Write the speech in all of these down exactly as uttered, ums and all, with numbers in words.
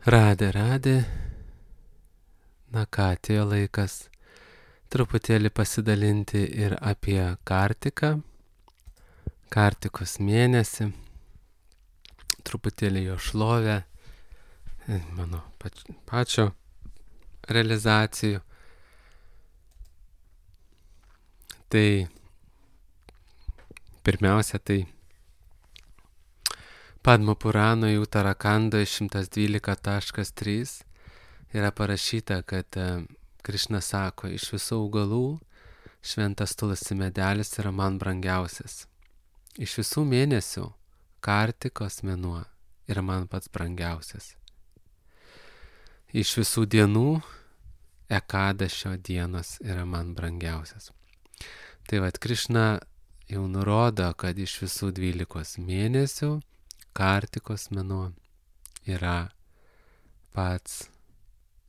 Radė, radė. Na ką, atėjo laikas truputėlį pasidalinti ir apie Kartiką, Kartikos mėnesį, truputėlį jo šlovę, mano pač, pačio realizacijų. Tai pirmiausia, tai Padma Purano Uttarakandoje šimtas dvylika taškas trys yra parašyta, kad Krišna sako, iš visų augalų šventas tulasi medelis yra man brangiausias. Iš visų mėnesių Kartikos mėnuo yra man pats brangiausias. Iš visų dienų Ekadašio dienos yra man brangiausias. Tai vad Krišna jau nurodo, kad iš visų dvylikos mėnesių Kartikos mėnuo yra pats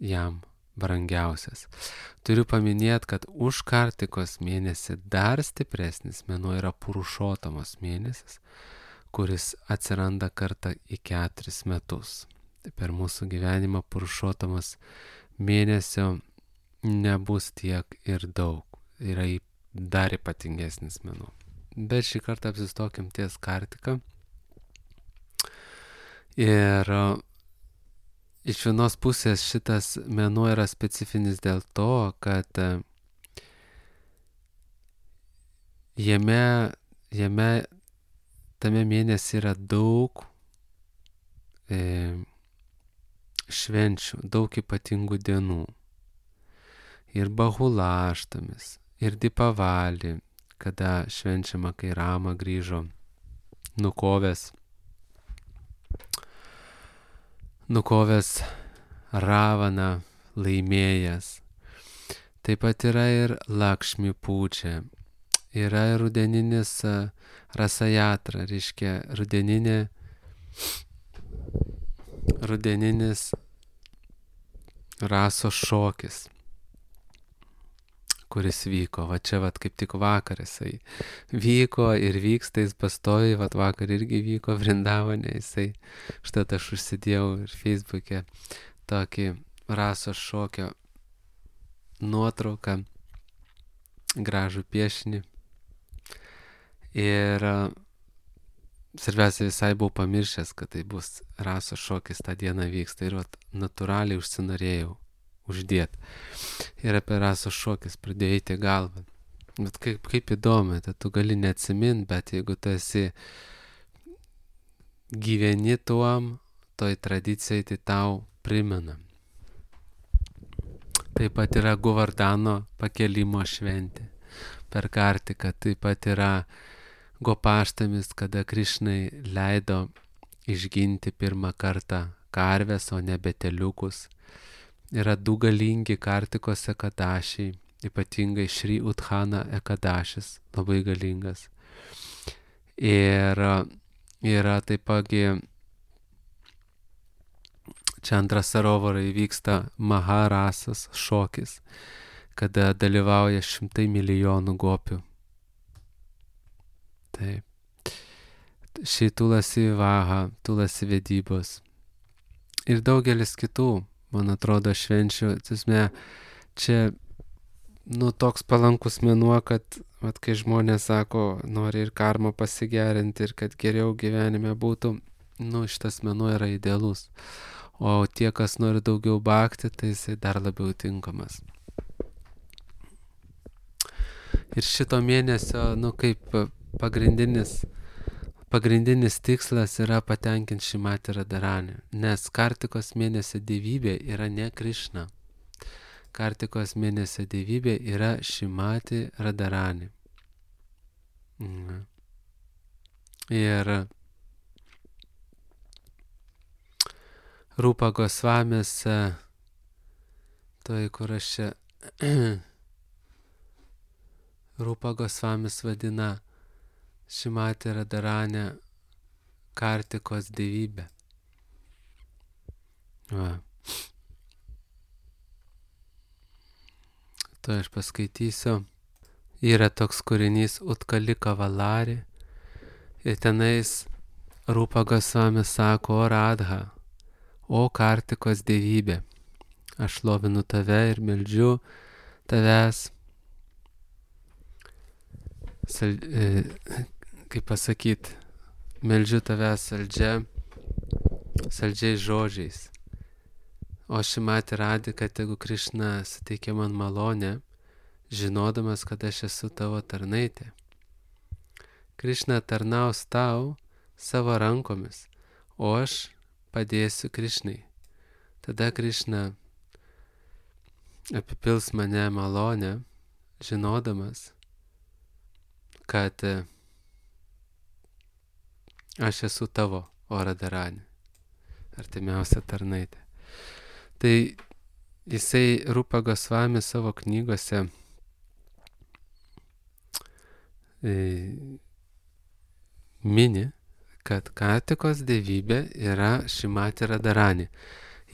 jam brangiausias. Turiu paminėti, kad už Kartikos mėnesį dar stipresnis mėnuo yra Purušotamos mėnesis, kuris atsiranda kartą į keturis metus. Tai per mūsų gyvenimą Purušotamos mėnesio nebus tiek ir daug. Yra dar ypatingesnis mėnuo. Bet šį kartą apsistokim ties Kartika. Ir iš vienos pusės šitas mėnuo yra specifinis dėl to, kad jame, jame tame mėnesį yra daug e, švenčių, daug ypatingų dienų. Ir Bahulaštamis, ir Dipavali, kada švenčiama, kai Rama grįžo nukovęs nukovęs Ravaną, laimėjęs. Taip pat yra ir Lakšmi Pūčia. Yra ir rudeninis Rasajatra, reiškia rudeninė, rudeninis rasos šokis, kuris vyko. Va čia vat kaip tik vakar jisai vyko ir vyksta, jis pastovi, vat vakar irgi vyko Vrindavane, jisai, štat aš užsidėjau ir Facebook'e tokį rasos šokio nuotrauką, gražų piešinį. Ir svarbiausia, visai buvau pamiršęs, kad tai bus rasos šokis tą dieną vyksta ir vat natūraliai užsinorėjau uždėt. Ir apie rasos šokis pradėjo eiti galvą. Bet kaip, kaip įdomu, tai tu gali neatsimint, bet jeigu tu esi gyveni tuom, toj tradicijai, tai tau primena. Taip pat yra Govardhano pakelimo šventė per Kartiką. Taip pat yra Gopaštamis, kada Krišnai leido išginti pirmą kartą karves, o ne beteliukus. Yra du galingi Kartikos ekadašiai, ypatingai Šri Udhana ekadašis, labai galingas. Ir yra taipogi Čandra Sarovarai vyksta Maharasas šokis, kada dalyvauja šimtai milijonų gopių. Taip. Šį Tulasi Vivaha, Tulasi vedybos. Ir daugelis kitų, man atrodo, švenčių. Tiesme, čia nu, toks palankus mėnuo, kad vat, kai žmonės sako, nori ir karmą pasigerinti ir kad geriau gyvenime būtų, nu, šitas mėnuo yra idealus. O tie, kas nori daugiau bhakti, tai jisai dar labiau tinkamas. Ir šito mėnesio, nu, kaip pagrindinis Pagrindinis tikslas yra patenkinti Šrimati Radharani, nes Kartikos mėnesio dievybė yra ne Krišna. Kartikos mėnesio dievybė yra Šrimati Radharani. Mhm. Ir Rupa Gosvamis, toj kur aš čia, Rupa Gosvamis vadina Šrimati Radharani Kartikos dievybė. Va. To aš paskaitysiu. Yra toks kūrinys Utkalika Valari. Ir tenais Rupa Gosvamis sako, o Radha, O Kartikos dievybė, aš šlovinu tave ir meldžiu tavęs, sal, e, kaip pasakyti, meldžiu tavęs saldžia, saldžiais žodžiais. O Šrimati Radhika, tegu Krišna suteikia man malonę, žinodamas, kad aš esu tavo tarnaitė. Krišna tarnaus tau savo rankomis, o aš padėsiu Krišnai. Tada Krišna apipils mane malonę, žinodamas, kad aš esu tavo Radharani, artimiausia tarnaitė. Tai jisai Rupa Gosvami savo knygose e, mini, kad Kartikos dievybė yra Šrimati Radharani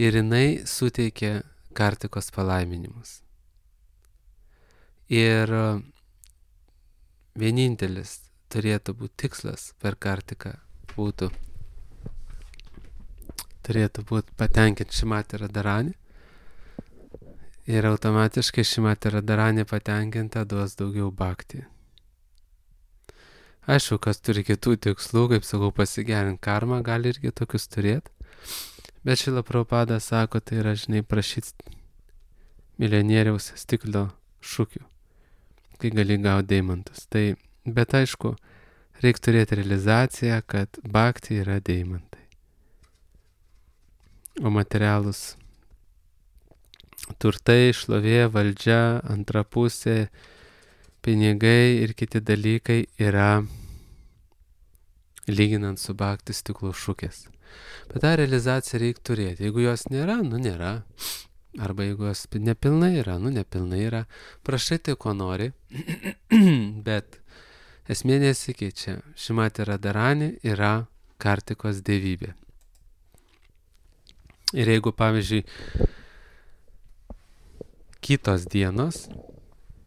ir jinai suteikia Kartikos palaiminimus. Ir vienintelis turėtų būti tikslas per Kartiką būtų, turėtų būti patenkinti Šrimati Radharani ir automatiškai Šrimati Radharani patenkinta duos daugiau bhakti. Aišku, kas turi kitų tikslų, kaip sakau, pasigerinti karmą, gali irgi tokius turėti, bet Šrila Prabhupada sako, tai yra, žinai, prašyti milijonieriaus stiklo šukių, kai gali gauti deimantus. Tai, bet aišku, reikia turėti realizaciją, kad bhakti yra deimantai. O materialūs turtai, šlovė, valdžia, antra pusė, pinigai ir kiti dalykai yra lyginant su bhakti stiklo šukės. Bet tą realizaciją reikia turėti. Jeigu jos nėra, nu nėra. Arba jeigu jos nepilnai yra, nu nepilnai yra. Prašai tai, ko nori, bet esmė nesikeičia. Šrimati Radharani yra Kartikos dievybė. Ir jeigu, pavyzdžiui, kitos dienos,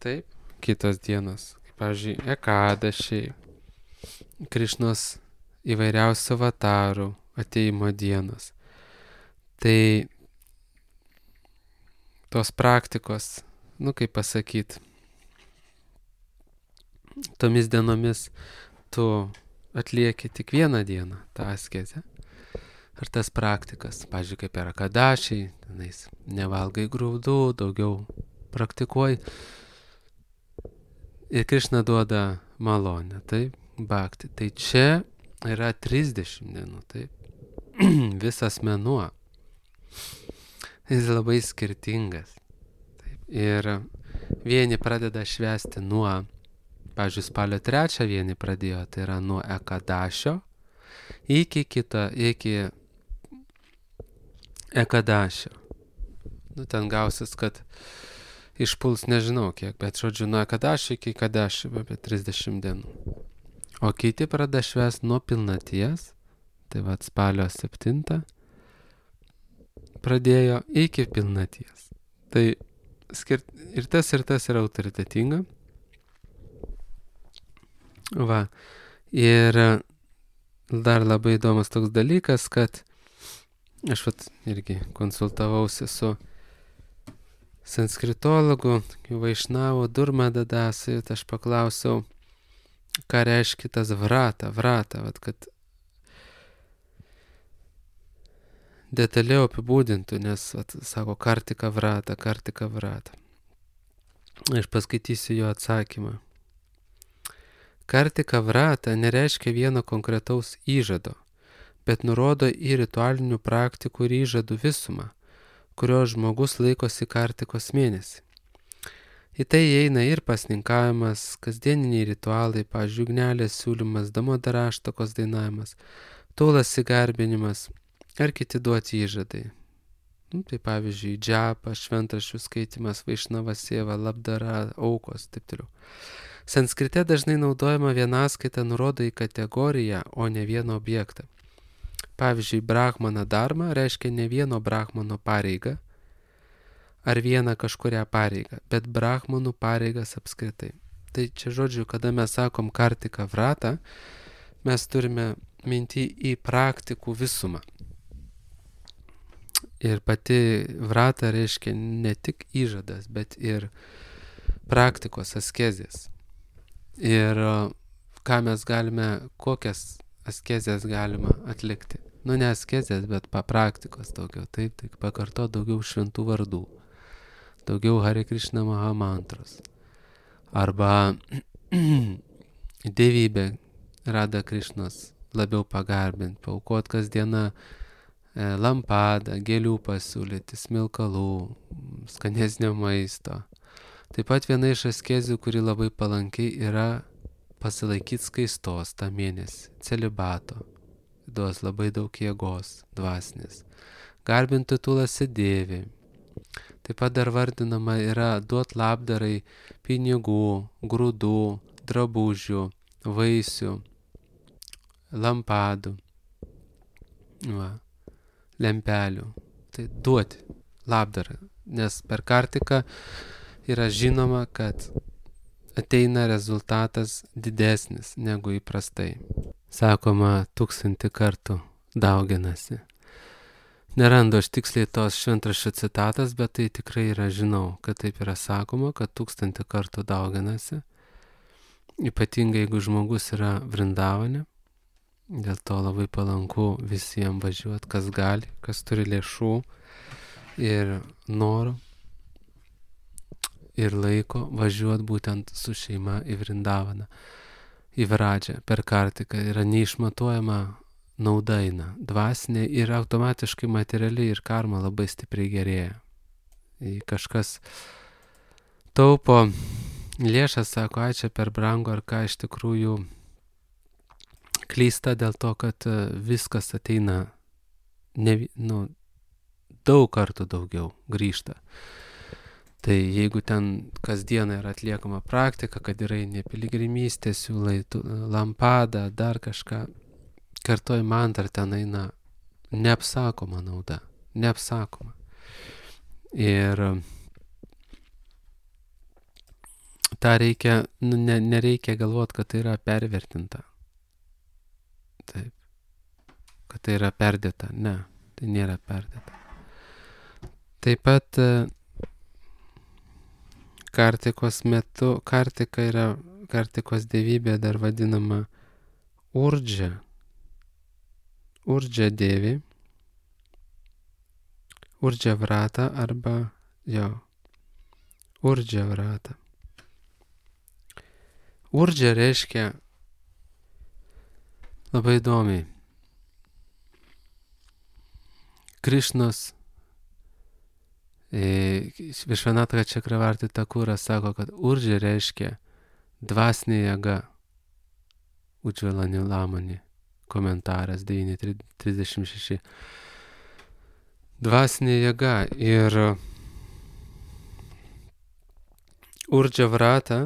taip, kitos dienos, kaip, pavyzdžiui, Ekadašiai, Krišnos įvairiausių avatarų ateimo dienos, tai tos praktikos, nu kaip pasakyti, tomis dienomis tu atlieki tik vieną dieną tą askezę. Ar tas praktikas, pavyzdžiui, kaip yra Ekadašiai, tenais nevalgai grūdų, daugiau praktikuoji. Ir Krišna duoda malonę, taip, bhakti. Tai čia yra trisdešimt dienų, taip, visas mėnuo. Jis labai skirtingas. Taip. Ir vieni pradeda švęsti nuo, pavyzdžiui, spalio trečią vieni pradėjo, tai yra nuo Ekadašio iki kito, iki Ekadašio. Nu, ten gausis, kad išpuls nežinau kiek, bet žodžiu, nuo Ekadašio iki Ekadašio, apie trisdešimt dienų. O kiti pradeda švęsti nuo pilnaties, tai va spalio septintą pradėjo iki pilnaties. Tai skirt, ir tas ir tas yra autoritetinga. Va, ir dar labai įdomus toks dalykas, kad aš vat irgi konsultavausi su sanskritologu, Vaišnavo Durmada Dasai, aš paklausiau, ką reiškia tas vrata, vrata, vat, kad detaliau apibūdintų, nes, vat, sako, Kartika vrata, Kartika vrata. Aš paskaitysiu jo atsakymą. Kartika vrata nereiškia vieno konkretaus įžado, bet nurodo į ritualinių praktikų ir įžadų visumą, kurio žmogus laikosi Kartikos mėnesį. Į tai įeina ir pasninkavimas, kasdieniniai ritualai, pavyzdžiui, ugnelės siūlymas, damodaraštokos dainavimas, taulas įgarbinimas ar kiti duoti įžadai. Nu, tai pavyzdžiui, džapa, šventraščių skaitimas, vaišnava sėva, labdara, aukos, taip toliau. Sanskrite dažnai naudojama vienaskaita nurodo į kategoriją, o ne vieną objektą. Pavyzdžiui, brahmana dharma reiškia ne vieno brahmano pareigą ar vieną kažkurią pareigą, bet brahmanų pareigas apskritai. Tai čia žodžiu, kada mes sakom Kartika vrata, mes turime minti į praktikų visumą. Ir pati vrata reiškia ne tik įžadas, bet ir praktikos, askezės. Ir ką mes galime, kokias askezės galima atlikti. Nu, ne askezės, bet papraktikos daugiau. Taip, tai pakarto daugiau šventų vardų. Daugiau Hare Krishna Maha mantros. Arba dievybę Radha Krishnos labiau pagarbinti, paaukot kasdieną e, lampadą, gėlių pasiūlyti, smilkalų, skanesnio maisto. Taip pat viena iš askezių, kuri labai palankiai yra pasilaikyti skaistos tą mėnesį, celibato. Duos labai daug jėgos dvasinės. Garbinti tulasi dėvį. Taip pat dar vardinama yra duot labdarai pinigų, grūdų, drabužių, vaisių, lampadų, va, lempelių. Tai duoti labdarą, nes per kartiką yra žinoma, kad ateina rezultatas didesnis negu įprastai. Sakoma, tūkstantį kartų dauginasi. Nerandu aš tiksliai tos šventraščio citatas, bet tai tikrai yra, žinau, kad taip yra sakoma, kad tūkstantį kartų dauginasi. Ypatingai, jeigu žmogus yra Vrindavane, dėl to labai palanku visiems važiuoti, kas gali, kas turi lėšų ir norų ir laiko važiuoti būtent su šeima į Vrindavaną, į Vradžią per kartiką. Yra neišmatuojama nauda eina, dvasinė ir automatiškai materialiai ir karma labai stipriai gerėja. Jei kažkas taupo lėšas, sako, ai čia per brangu ar ką, iš tikrųjų klysta dėl to, kad viskas ateina ne, nu, daug kartų daugiau grįžta. Tai jeigu ten kasdieną yra atliekama praktika, kad yra ne piligrimystė, siūlai lampadą, dar kažką, kartoj mantrą, ten eina neapsakoma nauda, neapsakoma. Ir tą reikia, nu, ne, nereikia galvoti, kad tai yra pervertinta. Taip. Kad tai yra perdėta. Ne, tai nėra perdėta. Taip pat kartikos metu, kartika yra, kartikos dievybė dar vadinama urdžia. Urdžia dievi. Urdžia vrata arba, jo, urdžia vrata. Urdžia reiškia labai įdomiai. Krišnos e, Višvanatha Čakravarti Takuras sako, kad urdžia reiškia dvasinė jėga. Udžvala Nilamani, komentaras devyni trisdešimt šeši. Dvasinė jėga ir urdžia vrata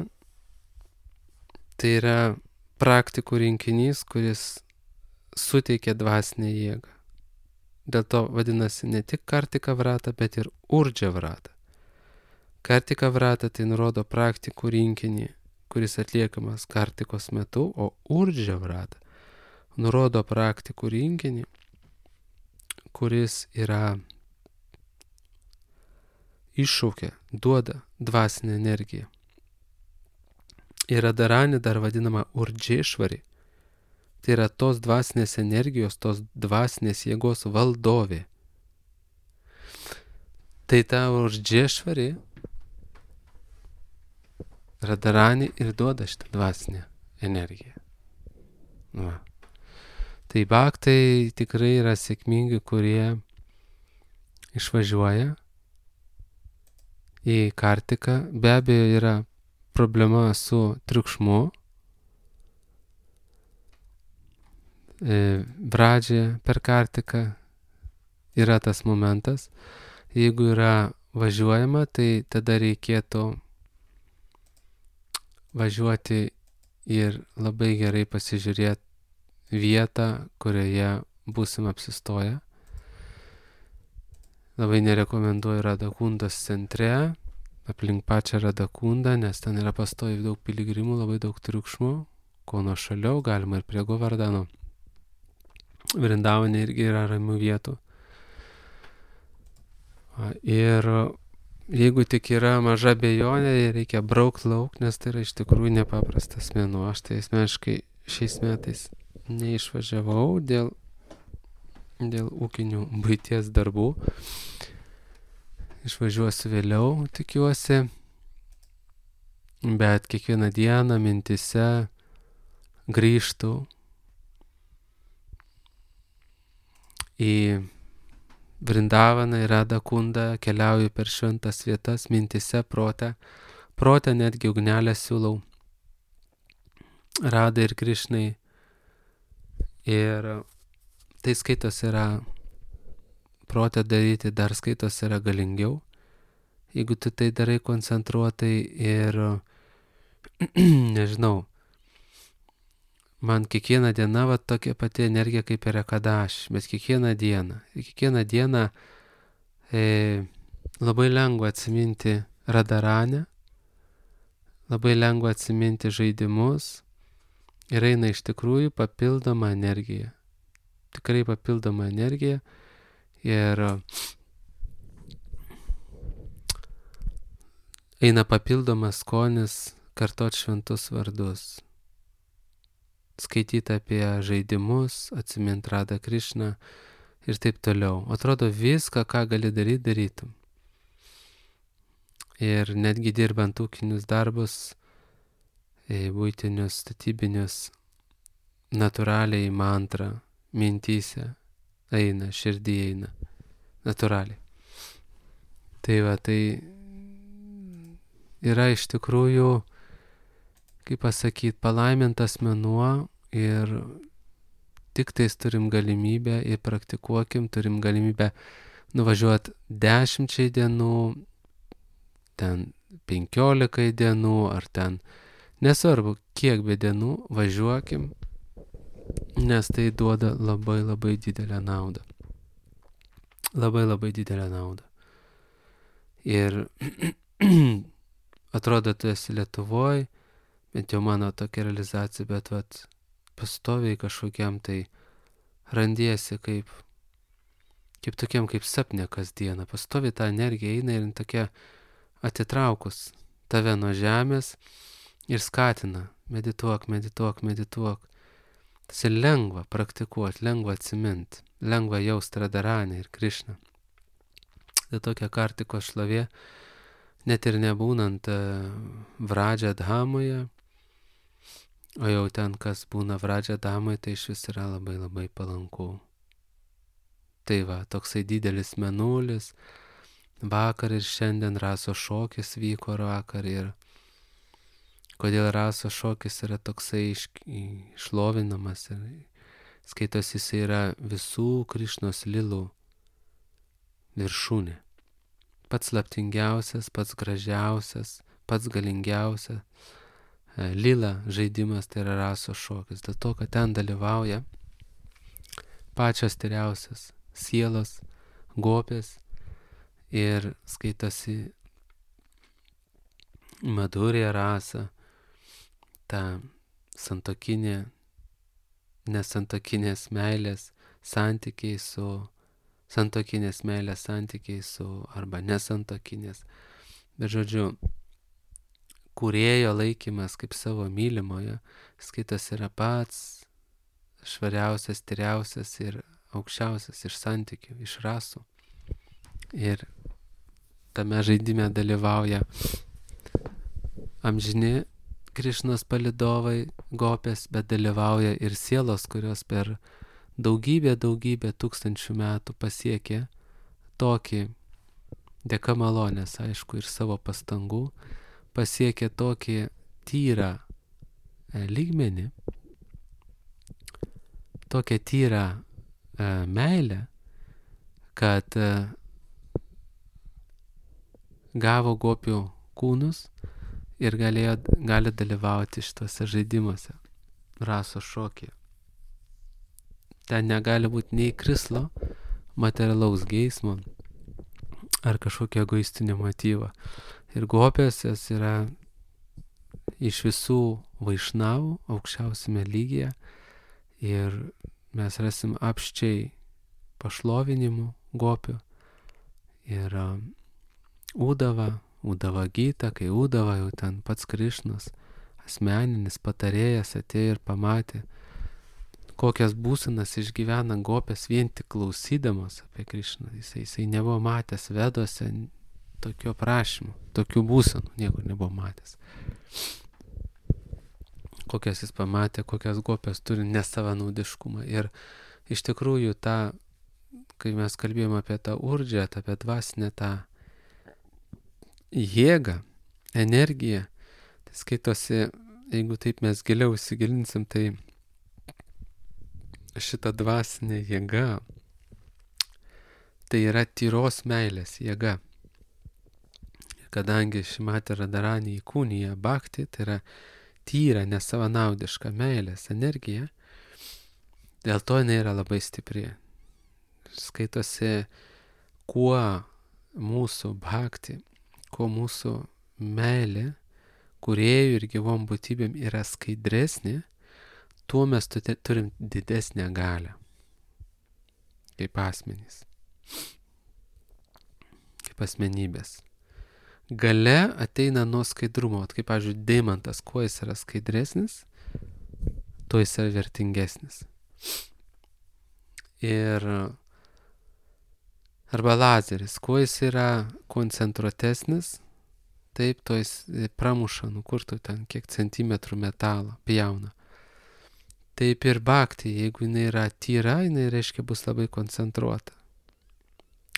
tai yra praktikų rinkinys, kuris suteikia dvasinę jėgą. Dėl to vadinasi ne tik kartika vrata, bet ir urdžia vrata. Kartika vrata tai nurodo praktikų rinkinį, kuris atliekamas kartikos metu, o urdžia vrata nurodo praktikų rinkinį, kuris yra iššaukia, duoda dvasinę energiją. Ir Radharani dar vadinama urdžėšvari. Tai yra tos dvasinės energijos, tos dvasinės jėgos valdovė. Tai ta urdžėšvari Radharani ir duoda šitą dvasinę energiją. Va. Tai bhaktai tikrai yra sėkmingi, kurie išvažiuoja į kartiką. Be abejo yra problema su triukšmu. Vradžia per kartiką yra tas momentas. Jeigu yra važiuojama, tai tada reikėtų važiuoti ir labai gerai pasižiūrėti vietą, kurioje būsim apsistoję. Labai nerekomenduoju Radhakundos centre, aplink pačią Radhakundą, nes ten yra pastoviai daug piligrimų, labai daug triukšmų. Ko nuo šaliau, galima ir prie Govardhano. Vrindavane irgi yra ramių vietų. Ir jeigu tik yra maža abejonė, reikia braukti lauk, nes tai yra iš tikrųjų nepaprastas mėnuo. Aš tai asmeniškai šiais metais neišvažiavau dėl, dėl ūkinių buities darbų. Išvažiuosiu vėliau, tikiuosi, bet kiekvieną dieną mintise grįžtu į Vrindavaną ir Radha Kundą, keliauju per šventas vietas, mintise, protę. Protę netgi ugnelę siūlau Radai ir Krišnai. Ir tai skaitos yra, protę daryti dar skaitos yra galingiau, jeigu tu tai darai koncentruotai ir, nežinau, man kiekviena diena va tokia pati energija kaip ir Ekadaš, bet kiekvieną dieną. Ir kiekvieną dieną e, labai lengva atsiminti Radaranę, labai lengva atsiminti žaidimus ir eina iš tikrųjų papildoma energija. Tikrai papildoma energija ir eina papildomas skonis kartot šventus vardus. Skaityti apie žaidimus, atsimint Radha Krišną ir taip toliau. Atrodo viską, ką gali daryti, darytum. Ir netgi dirbant ūkinius darbus, buitinius, statybinius, natūraliai mantra, mintyse eina, širdį eina, natūraliai. Tai va, tai yra iš tikrųjų, kaip pasakyti, palaimintas mėnuo ir tik tais turim galimybę ir praktikuokim, turim galimybę nuvažiuoti dešimčiai dienų, ten penkiolikai dienų, ar ten nesvarbu, kiek be dienų, važiuokim, nes tai duoda labai labai didelę naudą. Labai labai didelę naudą. Ir atrodo, tu esi Lietuvoj, bent jau mano tokia realizacija, bet vat, pastoviai kažkokiam tai randiesi kaip, kaip tokiam kaip sapne kasdieną. Pastoviai ta energija eina ir tokia atitraukus tave nuo žemės ir skatina. Medituok, medituok, medituok. Tas ir lengva praktikuoti, lengva atsiminti, lengva jausti Radaranę ir Krišną. Tai tokia Kartikos šlovė, net ir nebūnant Vradžia Dhamoje, o jau ten, kas būna Vradžia Dhamoje, tai iš vis yra labai labai palanku. Tai va, toksai didelis mėnulis, vakar ir šiandien raso šokis vyko vakar ir kodėl raso šokis yra toksai išlovinamas ir skaitosi jis yra visų Krišnos lilų viršūnė. Pats slaptingiausias, pats gražiausias, pats galingiausias lila žaidimas tai yra raso šokis. Dėl to, kad ten dalyvauja pačios tyriausias sielos, gopės ir skaitosi Madhurya rasa, ta santokinė, nesantokinės meilės santykiai su santokinės meilės santykiai su arba nesantokinės. Bet žodžiu, kūrėjo laikymas kaip savo mylimojo, skaitas yra pats švariausias, tyriausias ir aukščiausias iš santykių, iš rasų. Ir tame žaidime dalyvauja amžini Krišnos palidovai, gopės, bet dalyvauja ir sielos, kurios per daugybę, daugybę tūkstančių metų pasiekė tokį, dėka malonės, aišku, ir savo pastangų, pasiekė tokį tyrą lygmenį, tokią tyrą e, meilę, kad e, gavo gopių kūnus ir galėjo, gali dalyvauti šituose žaidimuose, raso šokyje. Ten negali būti nei krislo, materialaus geismo ar kažkokio egoistinio motyvo. Ir gopės jos yra iš visų vaišnavų aukščiausiame lygyje ir mes rasim apščiai pašlovinimų gopių Ir Udava, Udava Gita, kai Udava jau ten pats Krišnas, asmeninis patarėjas, atėjo ir pamatė, kokias būsenas išgyvena gopės vien tik klausydamas apie Krišną. Jisai, jisai nebuvo matęs Veduose tokio prašymų, tokių būsenų, niekur nebuvo matęs. Kokias jis pamatė, kokias gopės turi nesavanaudiškumą. Ir iš tikrųjų tą, kai mes kalbėjome apie tą urdžią, apie dvasinę tą jėgą, energiją, tai skaitosi, jeigu taip mes giliau įsigilinsim, tai šita dvasinė jėga, tai yra tyros meilės jėga. Ir kadangi Šrimati Radharani įkūnija bhakti, tai yra tyra, nesavanaudiška meilės energija, dėl to jinai yra labai stipri. Skaitosi, kuo mūsų bhakti, kuo mūsų meilė kūrėjų ir gyvom būtybėm yra skaidresnė, tuo mes turim didesnę galią kaip asmenys, kaip asmenybės. Galia ateina nuo skaidrumo, kaip, pavyzdžiui, deimantas, kuo jis yra skaidresnis, tuo jis yra vertingesnis. Ir arba lazeris, kuo jis yra koncentruotesnis, taip, to jis pramuša, nukurtų ten kiek centimetrų metalo, pjauna. Taip ir bhakti, jeigu jinai yra tyra, jinai reiškia bus labai koncentruota.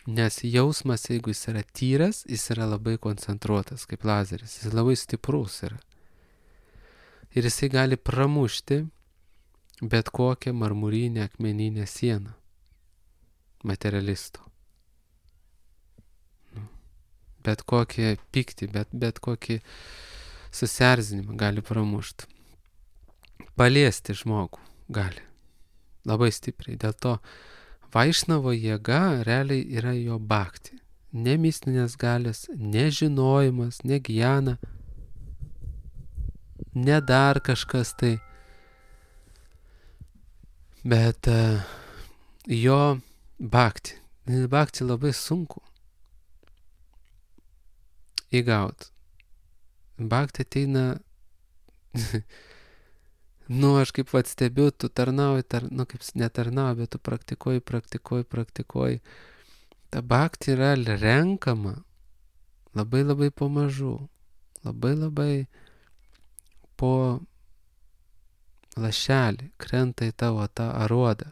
Nes jausmas, jeigu jis yra tyras, jis yra labai koncentruotas, kaip lazeris. Jis labai stiprus yra. Ir jisai gali pramušti bet kokią marmurinę akmeninę sieną materialisto. Bet kokį pyktį, bet, bet kokį susierzinimą gali pramušti. Paliesti žmogų gali labai stipriai. Dėl to Vaišnavo jėga realiai yra jo bhakti. Ne mistinės galės, ne žinojimas, ne gyjana, ne dar kažkas tai. Bet uh, jo bhakti. Bhakti labai sunku įgauti. Bhakti ateina nu, aš kaip vat stebiu, tu tarnauji, tar, nu, kaip netarnauji, bet tu praktikuoji, praktikuoji, praktikuoji. Ta bhakti yra renkama labai labai pamažu, labai labai po lašelį krenta į tavo tą aruodą.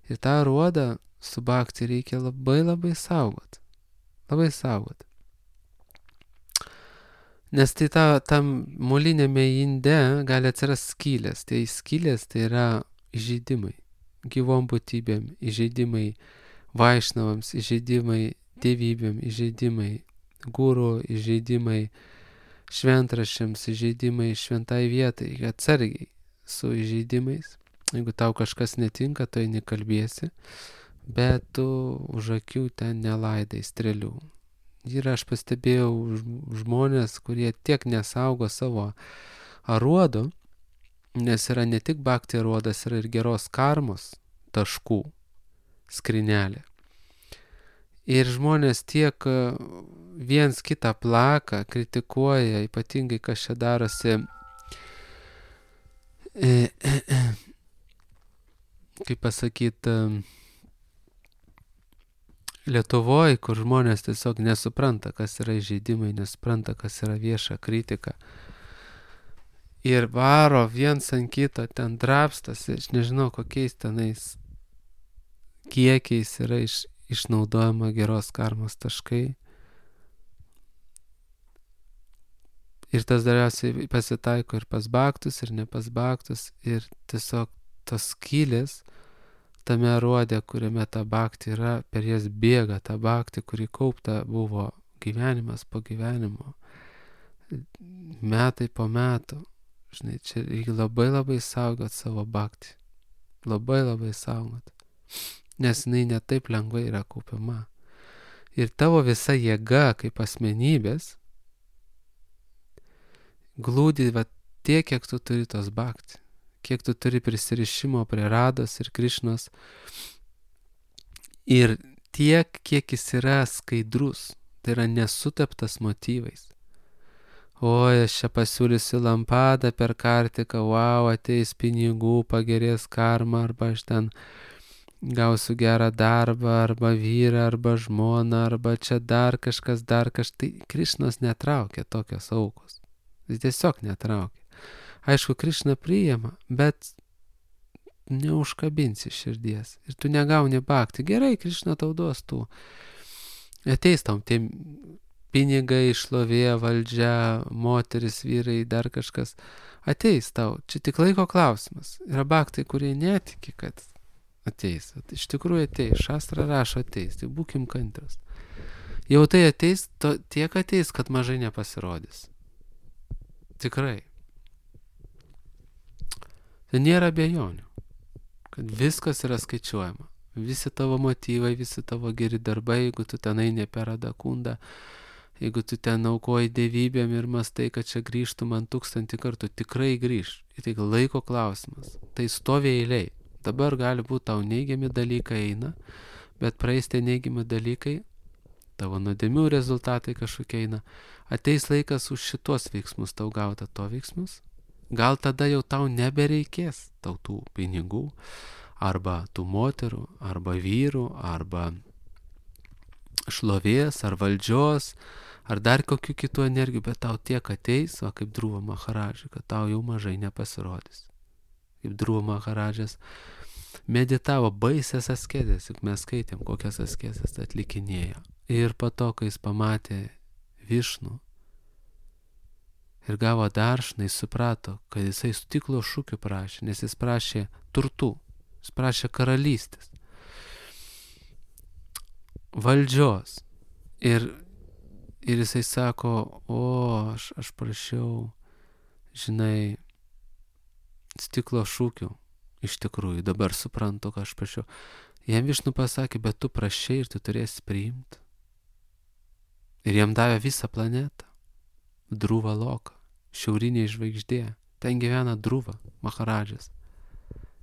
Ir tą aruodą su bhakti reikia labai labai saugot, labai saugot. Nes tai ta, tam molinėme inde gali atsirasti skylės. Tai skylės tai yra įžeidimai gyvom būtybėm, įžeidimai vaišnavams, įžeidimai dievybėm, įžeidimai guru, įžeidimai šventraščiams, įžeidimai šventai vietai. Atsargiai su įžeidimais. Jeigu tau kažkas netinka, tai nekalbėsi, bet tu už akių ten nelaidai strėlių. Ir aš pastebėjau žmonės, kurie tiek nesaugo savo aruodų, nes yra ne tik bhakti aruodas, yra ir geros karmos taškų skrinelė. Ir žmonės tiek viens kitą plaka, kritikuoja, ypatingai kas čia darosi, e, e, e, kaip pasakyti, Lietuvoje, kur žmonės tiesiog nesupranta, kas yra įžeidimai, nesupranta, kas yra vieša kritika. Ir varo viens ant kito, ten drapstasi, aš nežinau, kokiais tenais kiekiais yra iš, išnaudojama geros karmos taškai. Ir tas dariausiai pasitaiko ir pas bhaktus, ir ne pas bhaktus, ir tiesiog tos skylės tame aruode, kuriame ta bhakti yra, per jas bėga ta bhakti, kuri kaupta buvo gyvenimas po gyvenimo, metai po metų. Žinai, čia reikia labai labai saugot savo bhakti. Labai labai saugot. Nes jinai netaip lengvai yra kaupiama. Ir tavo visa jėga kaip asmenybės glūdi va tiek, kiek tu turi tos bhakti. Kiek tu turi prisirišimo prie Rados ir Krišnos. Ir tiek, kiek jis yra skaidrus, tai yra nesuteptas motyvais. Oi, aš čia pasiūlysiu lampadą per kartiką, wow, ateis pinigų, pagerės karma, arba aš ten gausiu gerą darbą, arba vyrą, arba žmoną, arba čia dar kažkas, dar kažkas. Tai Krišnos netraukia tokios aukos. Jis tiesiog netraukia. Aišku, Krišna priima, bet neužkabinsi širdies. Ir tu negauni bhakti. Gerai, Krišna tau duos tų. Ateis tam tie pinigai, šlovė, valdžia, moteris, vyrai, dar kažkas. Ateis tau. Čia tik laiko klausimas. Yra bhaktai, kurie netiki, kad ateis. Iš tikrųjų ateis. Šastra rašo ateis. Tai būkim kantrus. Jau tai ateis, to, tiek ateis, kad mažai nepasirodys. Tikrai. Tai nėra abejonių, kad viskas yra skaičiuojama. Visi tavo motyvai, visi tavo geri darbai, jeigu tu ten eini per Adakundą, jeigu tu ten aukoji dievybėm ir mastai, kad čia grįžtų man tūkstantį kartų, tikrai grįž. Ir tai laiko klausimas. Tai stovi eiliai. Dabar gali būti tau neigiami dalykai eina, bet praeis tie neigiami dalykai, tavo nuodėmių rezultatai kažkokie eina. Ateis laikas už šitos veiksmus tau gauta to veiksmus. Gal tada jau tau nebereikės tau tų pinigų, arba tų moterų, arba vyrų, arba šlovės, ar valdžios, ar dar kokių kitų energijų, bet tau tiek ateis, va kaip Dhruva Maharadžai, kad tau jau mažai nepasirodys. Kaip Dhruva Maharadžas meditavo baisės askezės, juk mes skaitėm, kokias askezės atlikinėjo. Ir po to, kai jis pamatė Višnų ir gavo daršną, jis suprato, kad jisai stiklo šūkių prašė, nes jis prašė turtų, jis prašė karalystės, valdžios. Ir, ir jisai sako, o, aš, aš prašiau, žinai, stiklo šūkių. Iš tikrųjų, dabar suprantu, ką aš prašiau. Jam Višnu pasakė, bet tu prašai ir tu turėsi priimti. Ir jam davė visą planetą. Dhruva Loka, šiaurinė žvaigždė. Ten gyvena Dhruva Maharadžas.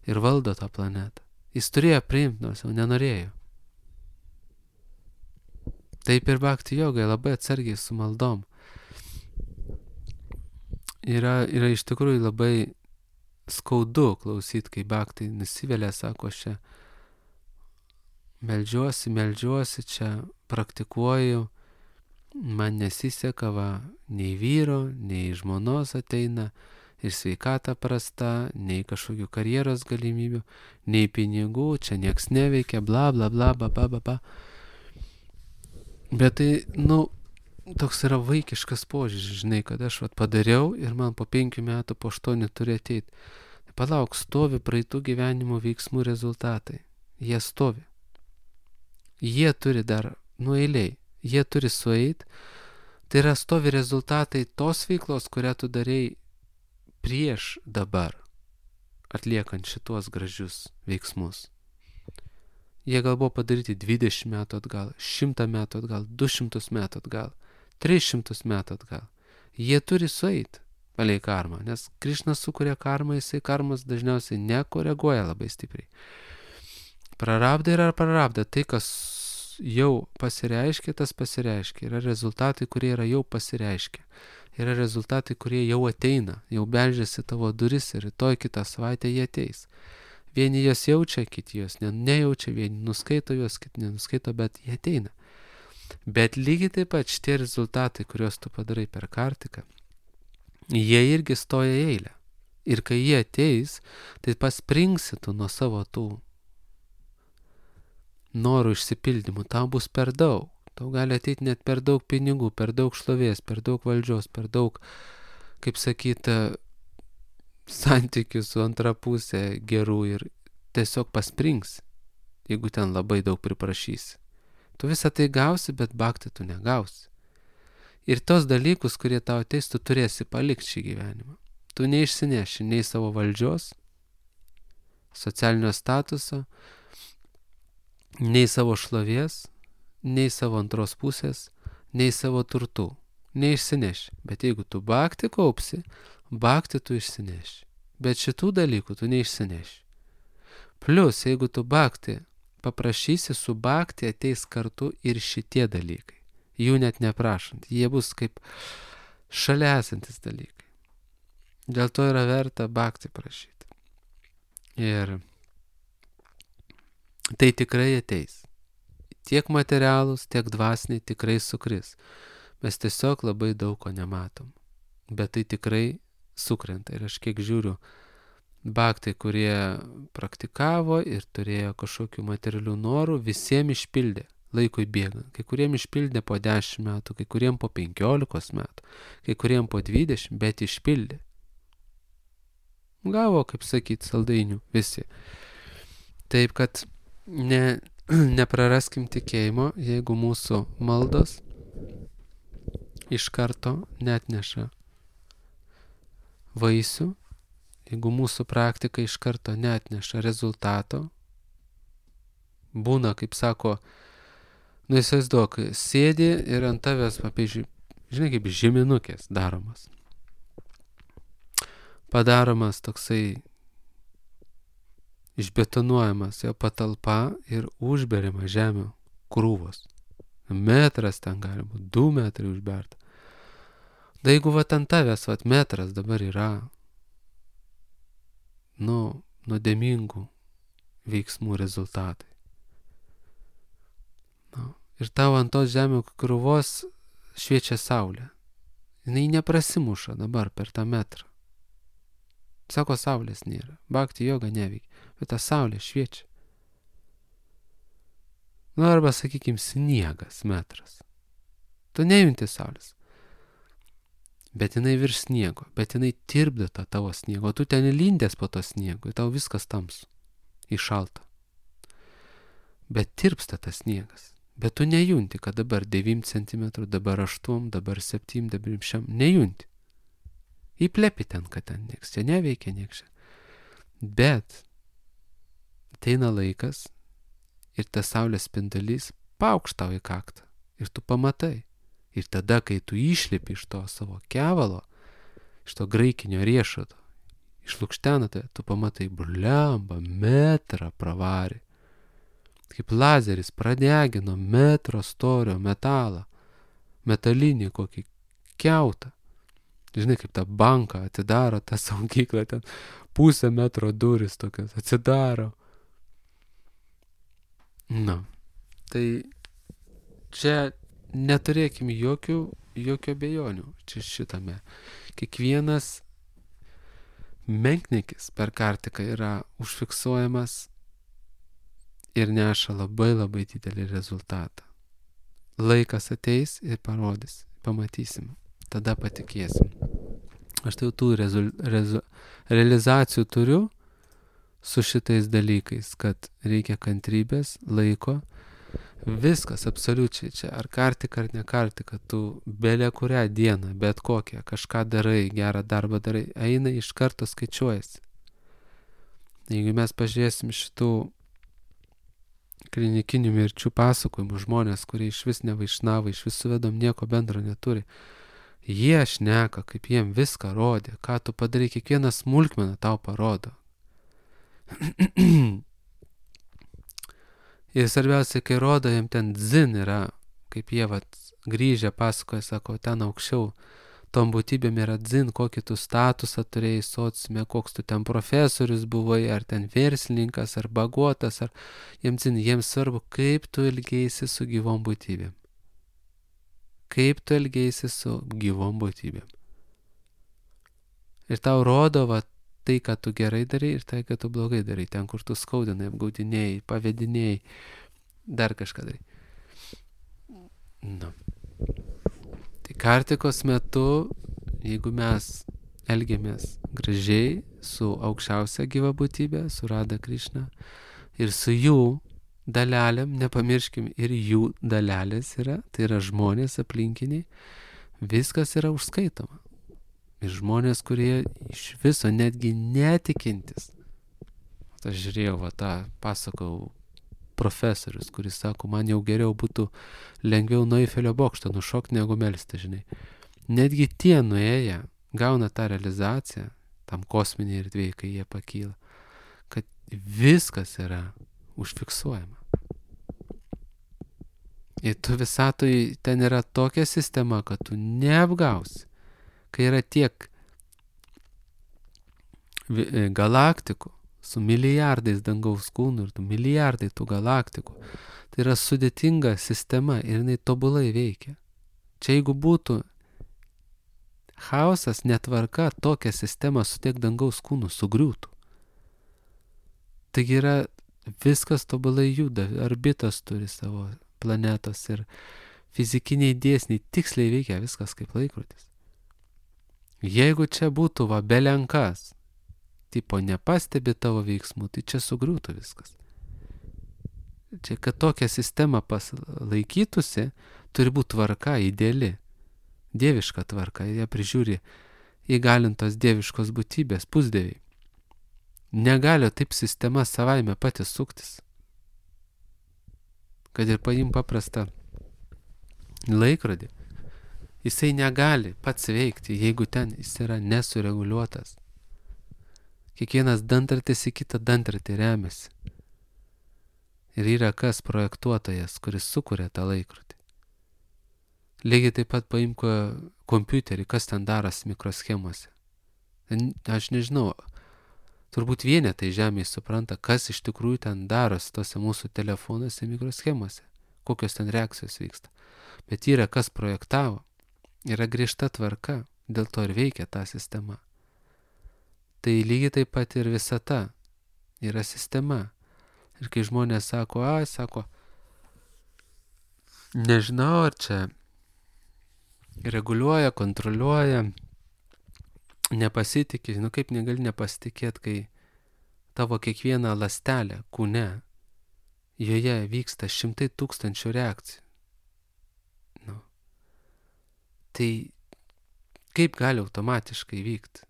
Ir valdo tą planetą. Jis turėjo priimti, nors jau nenorėjo. Taip ir bhakti jogai, labai atsargiai su maldom. Yra, yra iš tikrųjų labai skaudu klausyti, kai bhaktai nusivelia, sako, aš čia meldžiuosi, meldžiuosi, čia praktikuoju, man nesiseka, va, nei vyro, nei žmonos ateina, ir sveikata prasta, nei kažkokių karjeros galimybių, nei pinigų, čia nieks neveikia, bla, bla, bla, ba, ba, ba, ba. Bet tai, nu, toks yra vaikiškas požiūris, žinai, kad aš vat padariau ir man po penkių metų, po aštuonių turi ateiti. Palauk, stovi praeitų gyvenimo veiksmų rezultatai. Jie stovi. Jie turi dar, nu eiliai, jie turi sueit. Tai yra stovi rezultatai tos veiklos, kurią tu darei prieš dabar, atliekant šitos gražius veiksmus. Jie gal buvo padaryti dvidešimt metų atgal, šimtą metų atgal, du šimtus metų atgal, tris šimtus metų atgal. Jie turi sueit palei karmą, nes Krišnas sukuria karmą, jisai karmas dažniausiai nekoreguoja labai stipriai. Prarabda yra prarabda, tai kas jau pasireiškia, tas pasireiškia. Yra rezultatai, kurie yra jau pasireiškia. Yra rezultatai, kurie jau ateina, jau beldžiasi tavo duris ir rytoj kitą savaitę jie ateis. Vieni jos jaučia, kiti jos ne, nejaučia, vieni nuskaito jos, kiti nenuskaito, bet jie ateina. Bet lygiai taip pat šitie rezultatai, kuriuos tu padarai per kartiką, jie irgi stoja į eilę. Ir kai jie ateis, tai paspringsi tu nuo savo tų norų išsipildymų. Tau bus per daug. Tau gali ateiti net per daug pinigų, per daug šlovės, per daug valdžios, per daug, kaip sakyti, santykių su antra pusė gerų ir tiesiog pasprings, jeigu ten labai daug priprašysi. Tu visą tai gausi, bet bhakti tu negausi. Ir tos dalykus, kurie tau ateis, tu turėsi palikti šį gyvenimą. Tu neišsineši nei savo valdžios, socialinio statuso, nei savo šlovės, nei savo antros pusės, nei savo turtų. Neišsineši. Bet jeigu tu bhakti kaupsi, bhakti tu išsineši. Bet šitų dalykų tu neišsineši. Plius, jeigu tu bhakti paprašysi su bhakti, ateis kartu ir šitie dalykai. Jų net neprašant. Jie bus kaip šalia esantis dalykai. Dėl to yra verta bhakti prašyti. Ir tai tikrai ateis. Tiek materialūs, tiek dvasiniai tikrai sukris. Mes tiesiog labai daug ko nematom. Bet tai tikrai sukrenta. Ir aš kiek žiūriu, bhaktai, kurie praktikavo ir turėjo kažkokių materialių norų, visiems išpildė laikui bėgant. Kai kuriem išpildė po dešimt metų, kai kuriem po penkiolikos metų, kai kuriem po dvidešimt, bet išpildė. Gavo, kaip sakyt, saldainių visi. Taip, kad ne, nepraraskim tikėjimo, jeigu mūsų maldos iš karto netneša vaisių, jeigu mūsų praktika iš karto neatneša rezultato, būna, kaip sako, nu įsivaizduok, sėdi ir ant tavęs, pavyzdžiui, žinai, kaip žeminukės daromas. Padaromas toksai išbetonuojamas jo patalpa ir užberiama žemių krūvos. Metras ten gali būti, du metrai užberta. Da jeigu va ant tavęs, va metras dabar yra, nu, nuodėmingų veiksmų rezultatai. Nu, ir tau ant tos žemių krūvos šviečia saulė. Jinai neprasimuša dabar per tą metrą. Sako, saulės nėra. Bhakti joga neveikia, bet ta saulė šviečia. Nu, arba, sakykim, sniegas metras. Tu nejunti saulės. Bet jinai virš sniego, bet jinai tirpdo tą tavo sniego, o tu ten lindęs po to sniego, ir tau viskas tamsu, įšalta. Bet tirpsta tas sniegas. Bet tu nejunti, kad dabar devynių centimetrų, dabar aštuom, dabar septynių, dabar šem, nejunti. Įplepi ten, kad ten nieks, čia neveikia nieks. Bet ateina laikas ir tas saulės spindulys paukš tau į kaktą ir tu pamatai. Ir tada, kai tu išlipi iš to savo kevalo, iš to graikinio riešuto, išlukštena tai, tu pamatai, blemba, metrą pravarė. Kaip lazeris pradegino metro storio metalą, metalinį kokį kiautą. Žinai, kaip tą banką atidaro, tą saugyklą, ten pusę metro duris tokias atsidaro. Na, tai čia neturėkim jokių, jokių abejonių čia šitame. Kiekvienas menkniekis per kartiką yra užfiksuojamas ir neša labai labai didelį rezultatą. Laikas ateis ir parodys, pamatysim, tada patikėsim. Aš tai jau tų rezu, rezu, realizacijų turiu su šitais dalykais, kad reikia kantrybės, laiko, viskas absoliučiai čia, ar kartika ar ne kartika, tu belė kurią dieną, bet kokią, kažką darai, gerą darbą darai, eina iš karto skaičiuojasi. Jeigu mes pažiūrėsim šitų klinikinių mirčių pasakojimų, žmonės, kurie iš vis nevaišnavai, iš vis su vedom nieko bendro neturi, jie šneka, kaip jiem viską rodė, ką tu padarai, kiekvieną smulkmeną tau parodo. Ir svarbiausia, kai rodo, jiem ten dzin yra, kaip jie vat grįžę pasakoja, sako, ten aukščiau, tom būtybėm yra dzin, kokį tu statusą turėjai sociume, koks tu ten profesorius buvai, ar ten verslininkas, ar bagotas, ar jiems dzin, jiems svarbu, kaip tu elgeisi su gyvom būtybėm. Kaip tu elgeisi su gyvom būtybėm. Ir tau rodo, va, tai, ką tu gerai darai ir tai, ką tu blogai darai. Ten, kur tu skaudinai, apgaudinėjai, pavedinėjai, dar kažką darai. Na. Tai kartikos metu, jeigu mes elgiamės gražiai su aukščiausia gyva būtybė, su Radha Krishna, ir su jų dalelėm, nepamirškim, ir jų dalelės yra, tai yra žmonės aplinkiniai, viskas yra užskaitoma. Ir žmonės, kurie iš viso netgi netikintis. Aš žiūrėjau, va, tą pasakau profesorius, kuris sako, man jau geriau būtų lengviau nuo Eifelio bokšto nušokti, negu melsti, žinai. Netgi tie nuėję gauna tą realizaciją, tam kosminėje erdvėje, kai jie pakyla, kad viskas yra užfiksuojama. Ir tu visatoj ten yra tokia sistema, kad tu neapgausi. Kai yra tiek galaktikų su milijardais dangaus kūnų ir tų milijardai tų galaktikų, tai yra sudėtinga sistema ir jinai tobulai veikia. Čia jeigu būtų chaosas, netvarka, tokia sistema su tiek dangaus kūnų sugriūtų. Taigi yra viskas tobulai juda, orbitos turi savo planetos ir fizikiniai dėsniai tiksliai veikia viskas kaip laikrodis. Jeigu čia būtų va belenkas, tipo nepastebi tavo veiksmų, tai čia sugriūtų viskas. Čia, kad tokia sistema laikytųsi, turi būti tvarka ideali, dieviška tvarka, ją prižiūri įgalintos dieviškos būtybės, pusdieviai. Negali taip sistema savaime pati suktis. Kad ir paim paprastą laikrodį, jisai negali pats veikti, jeigu ten jis yra nesureguliuotas. Kiekvienas dantartis į kitą dantartį remiasi. Ir yra kas projektuotojas, kuris sukuria tą laikrodį. Lygiai taip pat paimk kompiuterį, kas ten darosi mikroschemose. Aš nežinau, turbūt vienetai žemėje supranta, kas iš tikrųjų ten darosi tose mūsų telefonuose mikroschemose, kokios ten reakcijos vyksta. Bet yra kas projektavo, yra griežta tvarka, dėl to ir veikia ta sistema. Tai lygiai taip pat ir visata yra sistema. Ir kai žmonės sako, ai, sako, nežinau, ar čia reguliuoja, kontroliuoja, nepasitikė, nu kaip negali nepasitikėti, kai tavo kiekviena ląstelė kūne, joje vyksta šimtai tūkstančių reakcijų. Nu. Tai kaip gali automatiškai vykti?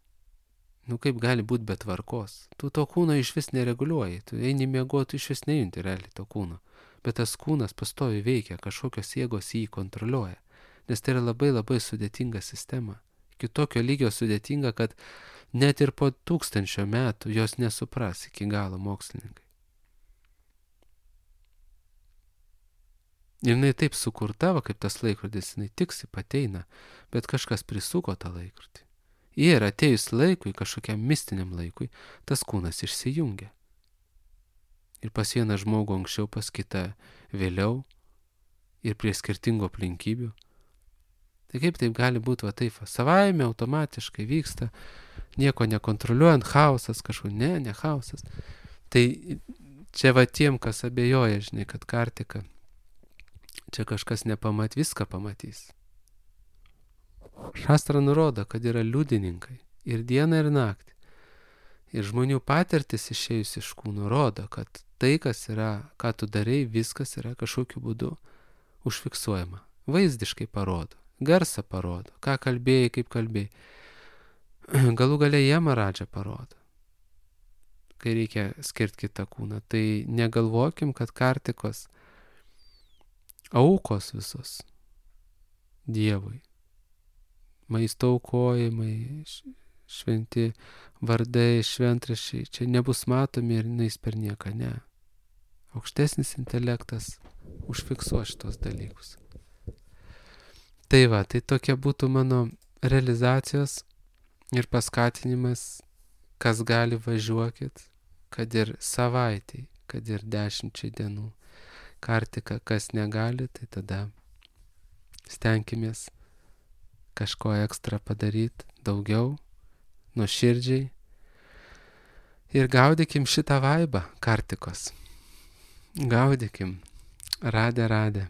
Nu kaip gali būti be tvarkos? Tu to kūno iš vis nereguliuoji, tu eini miegoti, tu iš vis nejunti realiai to kūno. Bet tas kūnas pastoviai veikia, kažkokios jėgos jį kontroliuoja. Nes tai yra labai labai sudėtinga sistema. Iki tokio lygio sudėtinga, kad net ir po tūkstančio metų jos nesupras iki galo mokslininkai. Ir jinai taip sukurta, va, kaip tas laikrodis, jinai tiksi pateina, bet kažkas prisuko tą laikrodį. Ir atėjus laikui, kažkokiam mistiniam laikui, tas kūnas išsijungia. Ir pas vieną žmogų anksčiau, pas kitą vėliau, ir prie skirtingų aplinkybių. Tai kaip taip gali būti, va taip, savaime automatiškai vyksta, nieko nekontroliuojant, chaosas kažkur, ne, ne chaosas. Tai čia va tiem, kas abejoja, žinai, kad Kartika, čia kažkas nepamat, viską pamatys. Šastra nurodo, kad yra liudininkai ir dieną ir naktį. Ir žmonių patirtis išėjus iš kūno rodo, kad tai, kas yra, ką tu darai, viskas yra kažkokiu būdu užfiksuojama. Vaizdiškai parodo, garsą parodo, ką kalbėjai, kaip kalbėjai. Galų gale Jemaradžą parodo, kai reikia skirti kitą kūną. Tai negalvokim, kad Kartikos aukos visos Dievui. Maisto aukojimai, šventi vardai, šventraščiai, čia nebus matomi ir neis per nieką, ne. Aukštesnis intelektas užfiksuos šitos dalykus. Tai va, tai tokia būtų mano realizacijos ir paskatinimas, kas gali važiuokit, kad ir savaitei, kad ir dešimčiai dienų. Kartika, kas negali, tai tada stenkimės kažko ekstra padaryti, daugiau, nuoširdžiai. Ir gaudykim šitą vaibą Kartikos. Gaudykim. Radė, radė.